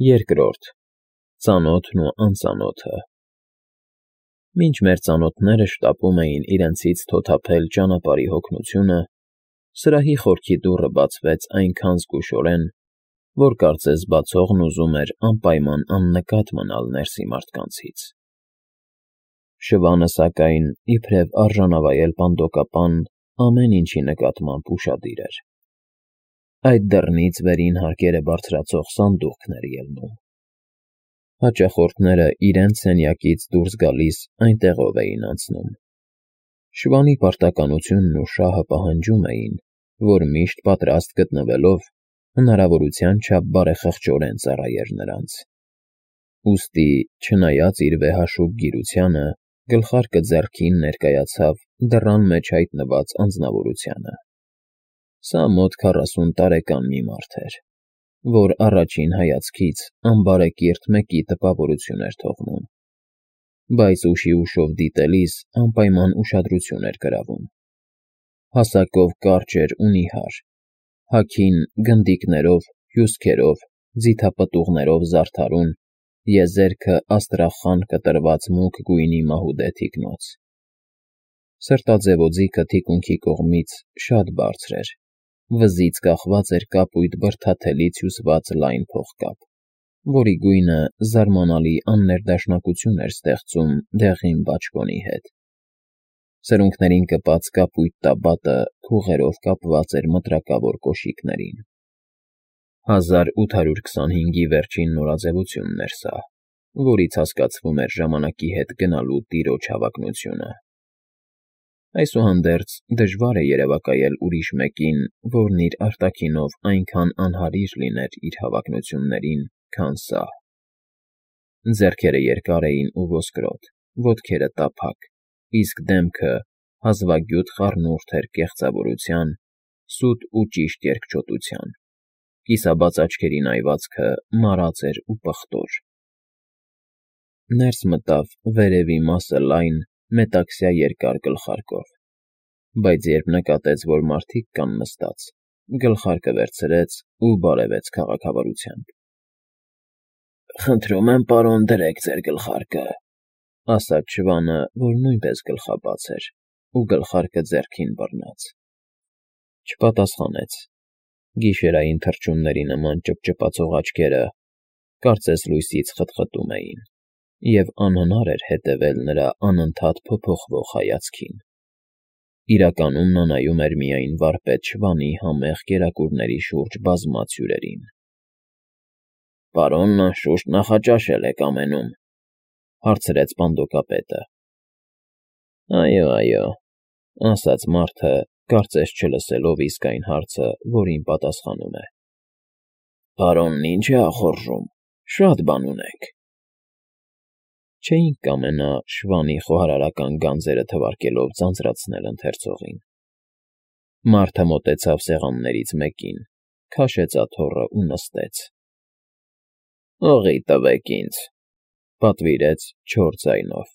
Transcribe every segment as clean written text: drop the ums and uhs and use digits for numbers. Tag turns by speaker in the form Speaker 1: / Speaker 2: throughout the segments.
Speaker 1: Երկրորդ. Ծանոթն ու անծանոթը։ Մինչ մեր ծանոթները շտապում էին իրենցից թոթափել ճանապարհի հոգնությունը, սրահի խորքի դուռը բացվեց այնքան զգուշորեն, որ կարծես բացողն ուզում էր անպայման աննկատ մնալ ներսի մարդկանցից։ Շվանը, սակայն, իբրև արժանավայել պանդոկապան, ամեն ինչի նկատմամբ ուշադիր էր։ Այդ դռնից վերին հարկերը բարձրացող սանդուղքն էր ելնում։ Հաճախորդները իրենց սենյակից դուրս գալիս այնտեղով էին անցնում։ Շվանի պարտականությունն ու շահը պահանջում էին, որ միշտ պատրաստ գտնվելով հնարավորության չափ բարեխղճորեն ծառայեր նրանց։ Ուստի, չնայած իր վեհաշուկ գիրությանը, գլխարկը ձեռքին ներկայացավ դռան մեջ հայտնված անձնավորությանը։ Սա մոտ 40 տարեկան մի մարդ էր, որ առաջին հայացքից անբարեկիրթ մեկի տպավորություն էր թողնում, բայց ուշիուշով դիտելիս անպայման ուշադրություն էր գրավում։ Հասակով կարճ էր ու նիհար, հագին գնդիկներով, հյուսքերով, ձիթապտուղներով զարդարուն, եզերքը աստրախան կտրված մուգ գույնի մահուդե թիկնոց։ Սրտաձև օձիքը թիկունքի կողմից շատ բարձր էր, վզից կախված էր կապույտ բրդաթելից հյուսված լայն փողկապ, որի գույնը զարմանալի աններդաշնակություն էր ստեղծում դեղին բաճկոնի հետ։ Սրունքներին կպած կապույտ տաբատը փուղերով կապված էր մտրակավոր կոշիկներին։ 1825-ի վերջին նորաձևությունն էր սա, որից հասկացվում էր ժամանակի հետ գնալու տիրոջ հավակնությունը։ Այսուհանդերձ դժվար է երևակայել ուրիշ մեկին, որն իր արտաքինով այնքան անհարիր լիներ իր հավակնություններին, քան սա։ Ձեռքերը երկար էին ու ոսկրոտ, ոտքերը տափակ, իսկ դեմքը հազվագյուտ խառնուրդ էր կեղծավորության, սուտ ու ճիշտ երկչոտության, կիսաբաց աչքերի նայվածքը մարած էր ու պղտոր։ Ներս մտավ վերևի մասը լայն, մետաքսյա երկար գլխարկով, բայց երբ նկատեց, որ մարդիկ կան նստած, գլխարկը վերցրեց ու բարևեց քաղաքավարությամբ։ «Խնդրում եմ, պարոն, դրեք ձեր գլխարկը», ասաց շվանը, որ նույնպես գլխաբաց էր ու գլխարկը ձեռքին բռնած։ Չպատասխանեց։ Գիշերային թռչունների նման ճպճպացող աչքերը կարծես լույսից խտխտում էին, և անհնար էր հետևել նրա անընդհատ փոփոխվող հայացքին։ Իրականում նա նայում էր միայն վարպետ շվանի համեղ կերակուրների շուրջ բազմած հյուրերին։ «Պարոնն անշուշտ նախաճաշել եք ամենում», հարցրեց պանդոկապետը։ «Այո, այո», ասաց մարդը, կարծես չլսելով իսկ այն հարցը, որին պատասխանում է։ «Պարոնն ինչ է ախորժում, շատ բան ունենք»։ Չէինք կամենա շվանի խոհարարական գանձերը թվարկելով ձանձրացնել ընթերցողին։ Մարդը մոտեցավ սեղաններից մեկին, քաշեց աթոռը ու նստեց։ «Օղի տվեք ինձ», պատվիրեց չոր ձայնով։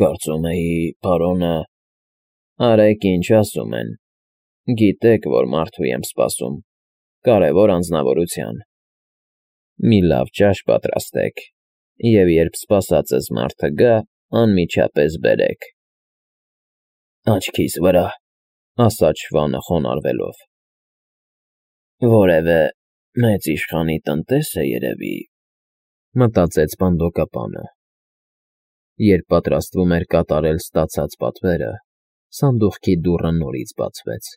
Speaker 1: «Կարծում էի, պարոնը…» «Արեք ինչ ասում են։ Գիտեք, որ մարդու եմ սպասում, կարևոր անձնավորության։ Մի լավ ճաշ պատրաստեք, և երբ սպասածս մարդը գա, անմիջապես բերեք»։ «Աչքիս վրա», ասաց շվանը խոնարհվելով։ «Որևէ մեծ իշխանի տնտես է երևի», մտածեց պանդոկապանը։ Երբ պատրաստվում էր կատարել ստացած պատվերը, սանդուղքի դուռը նորից բացվեց,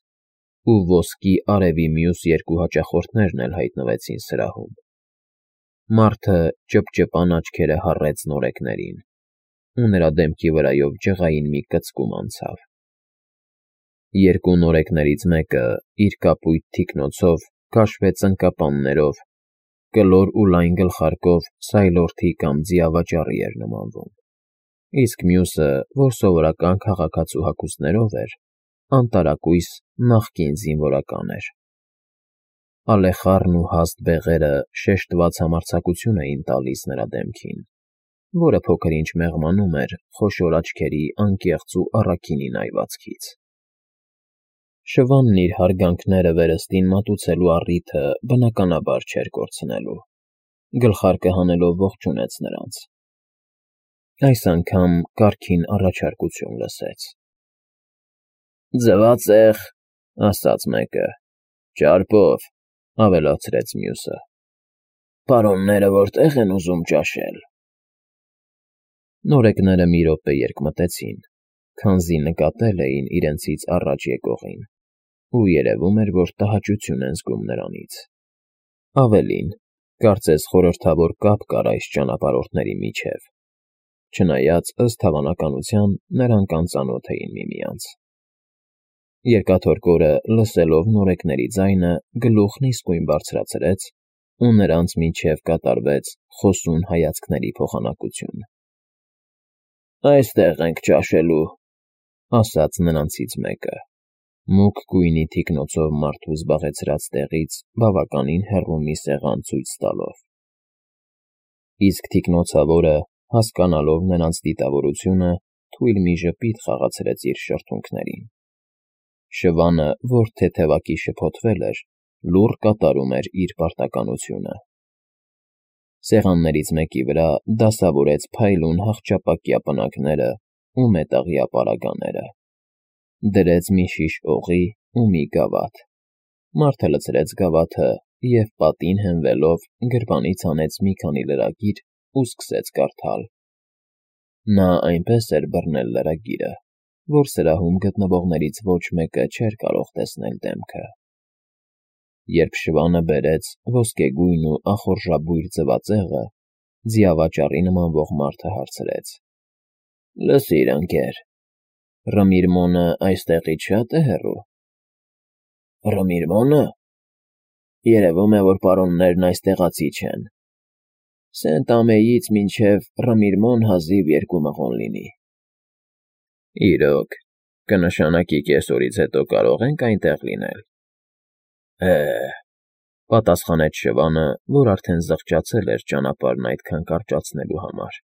Speaker 1: ու ոսկի արևի մյուս երկու հաճախորդներն էլ հայտնվեցին սրահում։ Մարդը ճպճպան աչքերը հառեց նորեկներին, ու նրա դեմքի վրայով ջղային մի կծկում անցավ։ Երկու նորեկներից մեկը իր կապույտ թիկնոցով, քաշվե ծնկապաններով, կլոր ու լայն գլխարկով սայլորդի կամ ձիավաճառի էր նմանվում, իսկ մյուսը, որ սովորական քաղաքացու հագուստներով էր, անտարակույս նախկին զինվորական էր։ Ալեխառն ու հաստ բեղերը շեշտված համարձակություն էին տալիս նրա դեմքին, որը փոքր-ինչ մեղմանում էր խոշոր աչքերի անկեղծ ու առաքինի նայվածքից։ Շվանն իր հարգանքները վերստին մատուցելու առիթը բնականաբար չէր կորցնելու, գլխարկը հանելով ողջունեց նրանց։ Այս անգամ կարգին առաջարկություն լսեց։ «Ձվածեղ», ասաց մեկը, «ճարպով», ավելացրեց մյուսը։ «Պարոնները որտե՞ղ են ուզում ճաշել»։ Նորեկները մի րոպե երկմտեցին, քանզի նկատել էին իրենցից առաջ եկողին, ու երևում էր, որ տհաճություն են զգում նրանից։ Ավելին, կարծես խորհրդավոր կապ կար այս ճանապարհորդների միջև, չնայած ըստ հավանականության նրանք անծանոթ էին միմյանց։ Երկաթորկորը, լսելով նորեկների ձայնը, գլուխն իսկույն բարձրացրեց, ու նրանց միջև կատարվեց խոսուն հայացքների փոխանակություն։ «Այստեղ ենք ճաշելու», ասաց նրանցից մեկը, մուգ գույնի թիկնոցով մարդու զբաղեցրած տեղից բավականին հեռու մի սեղան ցույց տալով։ Իսկ թիկնոցավորը, հասկանալով նրանց դիտավորությունը, թույլ մի ժպիտ խաղացրեց իր շրթունքներին։ Շվանը, որ թեթևակի շփոթվել էր, լուռ կատարում էր իր պարտականությունը։ Սեղաններից մեկի վրա դասավորեց փայլուն հախճապակյա պնակները ու մետաղյա պարագաները։ Դրեց մի շիշ օղի ու մի գավաթ։ Մարդը լցրեց գավաթը և, պատին հենվելով, գրպանից հանեց մի քանի լրագիր ու սկսեց կարդալ։ Նա այնպես էր բռնել լրագիրը, որ սրահում գտնվողներից ոչ մեկը չէր կարող տեսնել դեմքը։ Երբ շվանը բերեց ոսկեգույն ու ախորժաբույր ձվածեղը, ձիավաճառի նմանվող մարդը հարցրեց. «Լսիր, ընկեր, Ռմիրմոնը այստեղից շա՞տ է հեռու»։ «Ռմիրմոնը։ Երևում է, որ պարոններն այստեղացի չեն։ Սենտ֊Ամեից մինչև Ռմիրմոն հազիվ 2 մղոն լինի»։ «Իրոք, կնշանակի կեսօրից հետո կարող ենք այնտեղ լինել»։ Պատասխանեց Շվանը, որ արդեն զղջացել էր ճանապարհն այդքան կարճացնելու համար։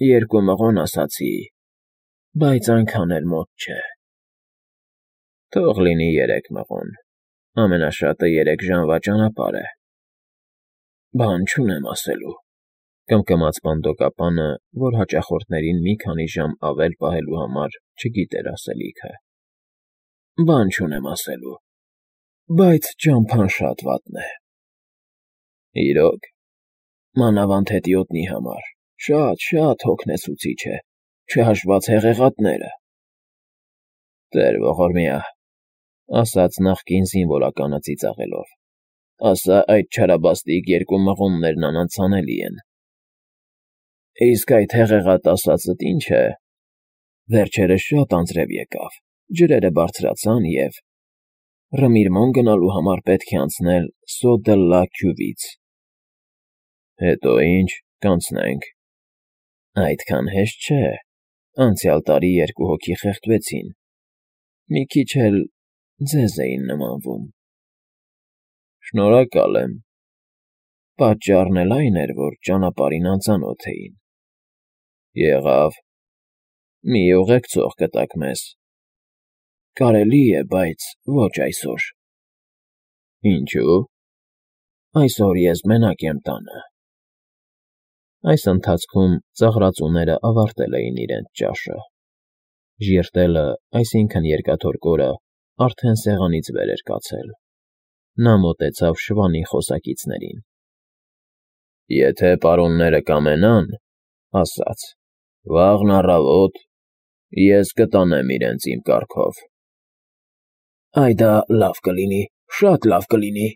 Speaker 1: 2 մղոն ասացի, բայց այնքան էլ մոտ չէ։ Թող լինի 3 մղոն, ամենաշատը 3 ժամվա ճանապարհ է։ Բան չունեմ ասելու, կմկմաց պանդոկապանը, որ հաճախորդներին մի քանի ժամ ավել պահելու համար չգիտեր ասելիքը։ Բան չունեմ ասելու, բայց ճամփան շատ վատն է։ Իրոք, մանավանդ հետիոտնի համար, շատ հոգնեցուցիչ է, չհաշված հեղեղատները։ Տեր ողորմյա, ասաց նախկին զինվորականը ծիծաղելով, ասա այդ չարաբաստիկ 2 մղոններն անանցանելի են։ Իսկ այդ հեղեղատ ասածդ ինչ է։ Վերջերս շատ անձրև եկավ, ջրերը բարձրացան և… Ռմիրմոն գնալու համար պետք է անցնել Սո֊դը֊Լա քյուվից։ Հետո ինչ, կանցնենք։ Այդքան հեշտ չէ, անցյալ տարի 2 հոգի խեղդվեցին, մի քիչ էլ ձեզ էին նմանվում։ Շնորհակալ եմ։ Պատճառն էլ այն էր, որ ճանապարհին անծանոթ էին։ Եղավ։ Մի ուղեկցող կտաք մեզ։ Կարելի է, բայց ոչ այսօր։ Ինչու՞։ Այսօր ես մենակ եմ տանը։ Այս ընթացքում ծաղրածուները ավարտել էին իրենց ճաշը։ Ժիրտելը, այսինքն երկաթորկորը, արդեն սեղանից վեր էր կացել։ Նա մոտեցավ Շվանի խոսակիցներին։ Եթե պարոնները կամենան, ասաց, վաղն առավոտ ես կտանեմ իրենց իմ կառքով։ Այ դա լավ կլինի, շատ լավ կլինի,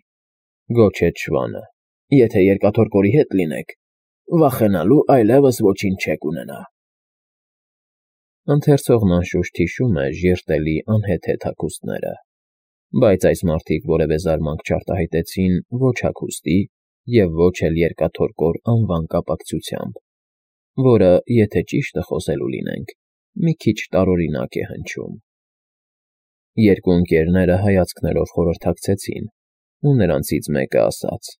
Speaker 1: գոչեց Շվանը, եթե երկաթորկորի հետ լինեք, վախենալու այլևս ոչինչ չեք ունենա։ Ընթերցողն անշուշտ հիշում է ժիրտելի անհեթեթ հագուստները, բայց այս մարդիկ որևէ զարմանք չարտահայտեցին ոչ հագուստի և ոչ էլ երկաթորկոր անվան կապակցությամբ, որը, եթե ճիշտը խոսելու լինենք, մի քիչ տարօրինակ է հնչում։ Երկու ընկերները հայացքներով խորհրդակցեցին, ու նրանցից մեկը ասաց.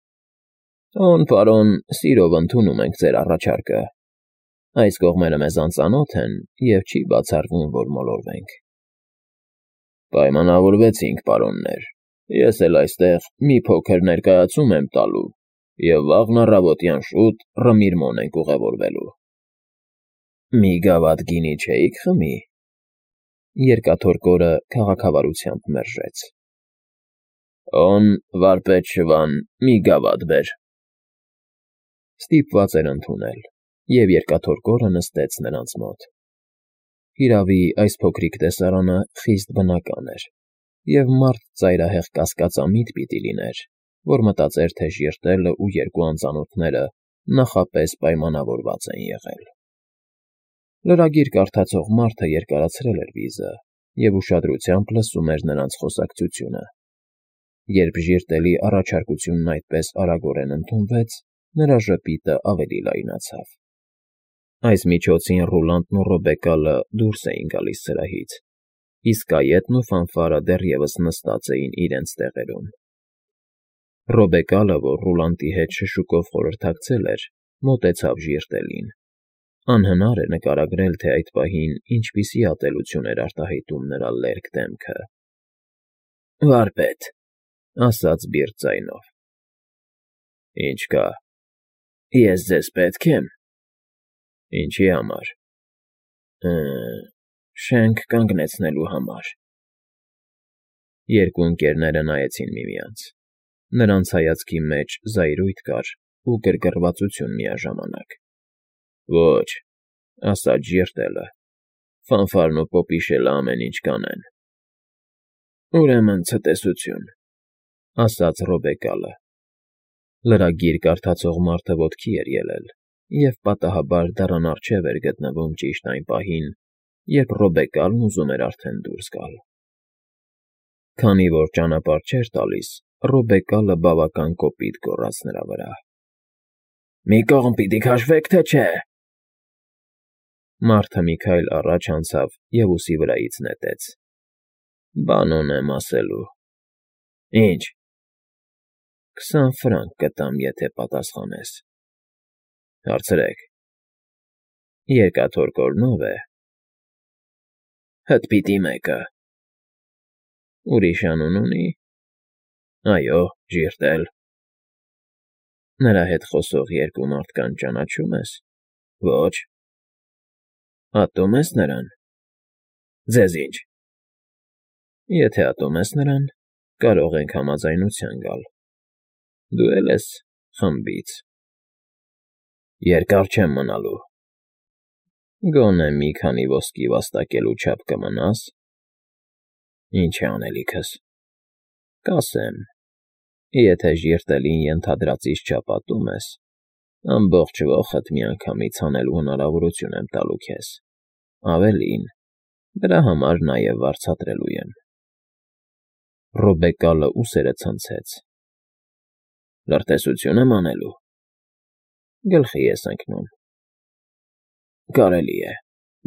Speaker 1: «Օն, պարոն, սիրով ընդունում ենք ձեր առաջարկը։ Այս կողմերը մեզ անծանոթ են, և չի բացառվում, որ մոլորվենք»։ Պայմանավորվեցինք, պարոններ, ես էլ այստեղ մի փոքր ներկայացում եմ տալու, Եվ վաղն առավոտյան շուտ Ռմիրմոն ենք ուղևորվելու։ Մի գավաթ գինի չէիք խմի։ Երկաթորկորը քաղաքավարությամբ մերժեց։ Օն, վարպետ Շվան, մի գավաթ բեր։ Ստիպված էր ընդունել, և երկաթորկորը նստեց նրանց մոտ։ Հիրավի, այս փոքրիկ տեսարանը խիստ բնական էր, և մարդ ծայրահեղ կասկածամիտ պիտի լիներ, որ մտածեր, թե ժիրտելն ու երկու անծանոթները նախապես պայմանավորված են եղել։ Լրագիր կարդացող մարդը երկարացրել էր վիզը և ուշադրությամբ լսում էր նրանց խոսակցությունը։ Երբ ժիրտելի առաջարկությունն այդպես արագորեն ընդունվեց, նրա ժպիտը ավելի լայնացավ։ Այս միջոցին Ռուլանդն ու Ռոբեկալը դուրս էին գալիս սրահից, իսկ Կայետն ու Ֆանֆարը դեռևս նստած էին իրենց տեղերում։ Ռոբեկալը, որ Ռուլանդի հետ շշուկով խորհրդակցել էր, մոտեցավ ժիրտելին։ Անհնար է նկարագրել, թե այդ պահին ինչպիսի ատելություն էր արտահայտում նրա լերկ դեմքը։ Վարպետ, ասաց բիրտ ձայնով։ Ինչ կա։ Ես ձեզ պետք եմ։ Ինչի համար։ Շենք կանգնեցնելու համար։ Երկու ընկերները նայեցին միմյանց։ Նրանց հայացքի մեջ զայրույթ կար ու գրգռվածություն միաժամանակ։ Ոչ, ասաց ժիրտելը, Ֆանֆարն ու Պոպիշելը ամեն ինչ կանեն։ Ուրեմն ցտեսություն, ասաց Ռոբեկալը։ Լրագիր կարդացող մարդը ոտքի էր ելել և պատահաբար դռան առջև էր գտնվում ճիշտ այն պահին, երբ Ռոբեկալն ուզում էր արդեն դուրս գալ։ Քանի որ ճանապարհ չէր տալիս, Ռոբեկալը բավական կոպիտ գոռաց նրա վրա։ Մի կողմ պիտի քաշվեք, թե չէ։ Մարդը մի քայլ առաջ անցավ և ուսի վրայից նետեց։ Բան ունեմ ասելու։ Ինչ։ 20 ֆրանկ կտամ, եթե պատասխանես։ Հարցրեք։ Երկաթորկորն ով է։ Հտպիտի մեկը։ Ուրիշ անուն ունի։ Այո, ժիրտել։ Նրա հետ խոսող երկու մարդկանց ճանաչում ես։ Ոչ։ Ատում ես նրան։ Ձեզ ինչ։ Եթե ատում ես նրան, կարող ենք համաձայնության գալ։ Դու էլ ես խմբից։ Երկար չեմ մնալու։ Գոնե մի քանի ոսկի վաստակելու չափ կմնաս։ Ինչ է անելիքս։ Կասեմ, եթե ժիրտելին ենթադրածից չափ ատում ես, ամբողջ ոխդ միանգամից հանելու հնարավորություն եմ տալու քեզ։ Ավելին, դրա համար նաև վարձատրելու եմ։ Ռոբեկալը ուսերը ցնցեց։ Լրտեսություն եմ անելու։ Գլխի ես ընկնում։ Կարելի է,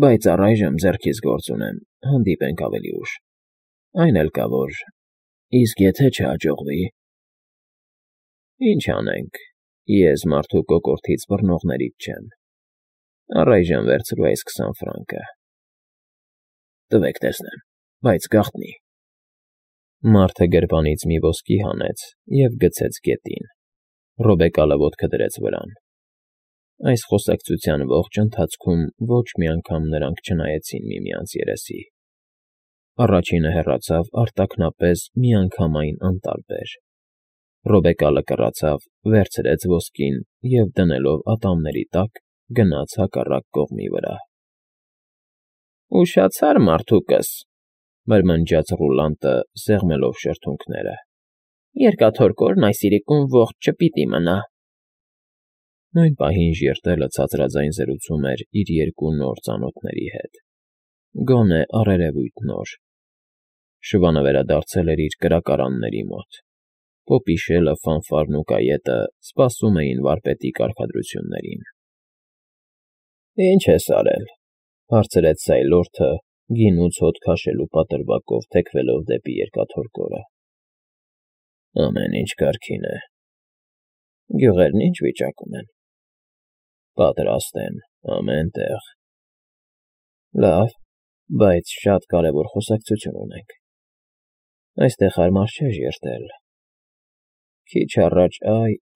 Speaker 1: բայց առայժմ ձեռքից գործ ունեմ, հանդիպենք ավելի ուշ։ Այն էլ կա, որ իսկ եթե չհաջողվի։ Ինչ անենք, ես մարդու կոկորդից բռնողներից չեմ։ Առայժմ վերցրու այս 20 ֆրանկը։ Տվեք տեսնեմ, բայց գաղտնի։ Մարդը գրպանից մի ոսկի հանեց և գցեց գետին։ Ռոբեկալը ոտքը դրեց վրան։ Այս խոսակցության ողջ ընթացքում ոչ մի անգամ նրանք չնայեցին միմյանց երեսի։ Առաջինը հեռացավ արտաքնապես միանգամայն անտարբեր։ Ռոբեկալը կռացավ, վերցրեց ոսկին և դնելով ատամների տակ, գնաց հակառակ կողմի վրա։ Ուշացար, մարդուկս, մրմնջաց Ռուլանդը, սեղմելով շրթունքները։ Երկաթորկորն այս իրիկուն ողջ չպիտի մնա։ Նույն պահին ժիրտելը ցածրաձայն զրուցում էր իր երկու նոր ծանոթների հետ։ Գոնե առերևույթ նոր։ Շվանը վերադարձել էր իր կրակարանների մոտ։ Պոպիշելը, Ֆանֆարն ու Կայետը սպասում էին վարպետի կարգադրություններին։ Ինչ ես արել, հարցրեց Սայլորթը, գինուց հոտ քաշելու պատրվակով թեքվելով դեպի երկաթորկորը։ Ամեն ինչ կարգին է։ Գյուղերն ինչ վիճակում են։ Պատրաստ են ամեն տեղ։ Լավ, բայց շատ կարևոր խոսակցություն ունենք։ Այստեղ հարմար չէ ժիրտել։ Քիչ առաջ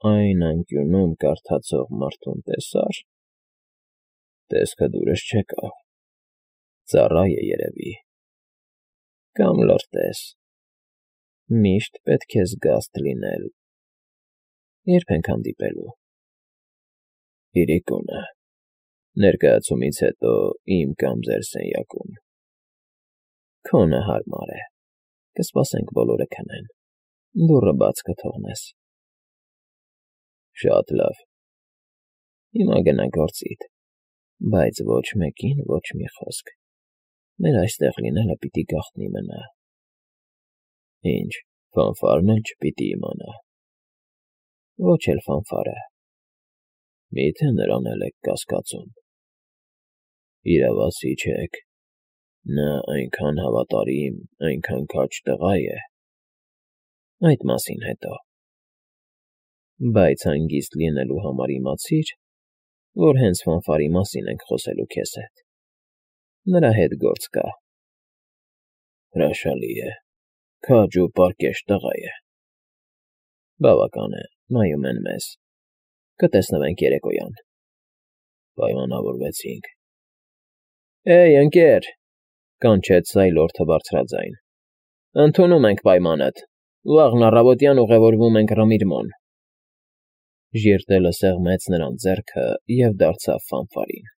Speaker 1: այն անկյունում կարդացող մարդուն տեսա՞ր։ Տեսքը դուրս չեկավ։ Ծառա է երևի։ Կամ լրտես։ Միշտ պետք է զգաստ լինել։ Երբ ենք հանդիպելու։ Իրիկունը։ Ներկայացումից հետո իմ կամ ձեր սենյակում։ Քոնը հարմար է։ Կսպասենք բոլորը քնեն։ Դուռը բաց կթողնես։ Շատ լավ։ Հիմա գնա գործիդ։ Բայց ոչ մեկին ոչ մի խոսք։ Մեր այստեղ լինելը պիտի գաղտնի մնա։ Ինչ, ֆանֆարն էլ չպիտի իմանա։ Ոչ էլ ֆանֆարը։ Միթե նրան էլ եք կասկածում։ Իրավասի չեք։ Նա այնքան հավատարիմ, այնքան քաջ տղա է։ Այդ մասին հետո։ Բայց հանգիստ լինելու համար իմացիր, որ հենց ֆանֆարի մասին ենք խոսելու քեզ հետ։ Նրա հետ գործ կա։ Հրաշալի է։ Քաջ ու պարկեշտ տղա է։ Բավական է, նայում են մեզ։ Կտեսնվենք երեկոյան։ Պայմանավորվեցինք։ Էй, ընկեր, կանչեց Սայլորթը բարձրաձայն։ Ընդունում ենք պայմանդ։ Վաղն առավոտյան ուղևորվում ենք Ռամիրմոն։ Ժիրտելը սեղմեց նրան ձեռքը և դարձավ ֆանֆարին։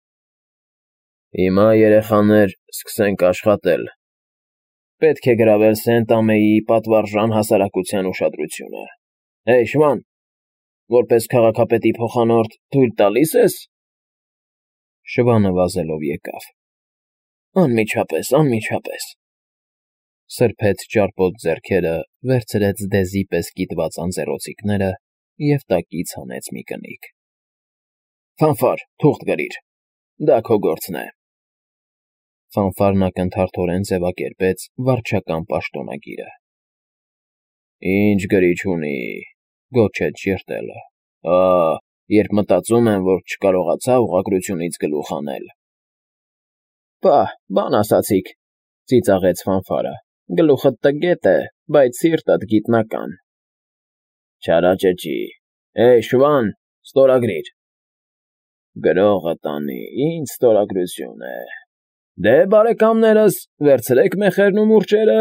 Speaker 1: Հիմա, երեխաներ, սկսենք աշխատել։ Պետք է գրավել Սենտ-Ամեի պատվարժան հասարակության ուշադրությունը։ Հեյ, Շվան, որպես քաղաքապետի փոխանորդ թույլ տալիս ես։ Շվանը վազելով եկավ։ Անմիջապես։ Սրբեց ճարպոտ ձեռքերը, վերցրեց դեզի պես կիտված անձեռոցիկները և տակից հանեց մի կնիկ։ Ֆանֆար, թուղթ գրիր։ Դա քո գործն է։ Ֆանֆարն ակնթարթորեն ձևակերպեց վարչական պաշտոնագիրը։ Ինչ գրիչ ունի, գոչեց ժիրտելը։ Երբ մտածում եմ, որ չկարողացա ուղղագրությունից գլուխ հանել։ Բան ասացիք, ծիծաղեց Ֆանֆարը։ Գլուխդ տգետ է, բայց սիրտդ գիտնական։ Չարաճճի։ Հեյ, Շվան, ստորագրիր։ Գրողը տանի, ինչ ստորագրություն է։ Դե, բարեկամներս, վերցրեք մեխերն ու մուրճերը։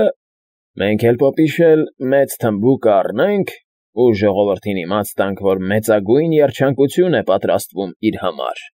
Speaker 1: Մենք էլ պոպիշել մեծ թմբուկ առնենք ու ժողովրդին իմաց տանք, որ մեծագույն երջանկություն է պատրաստվում իր համար։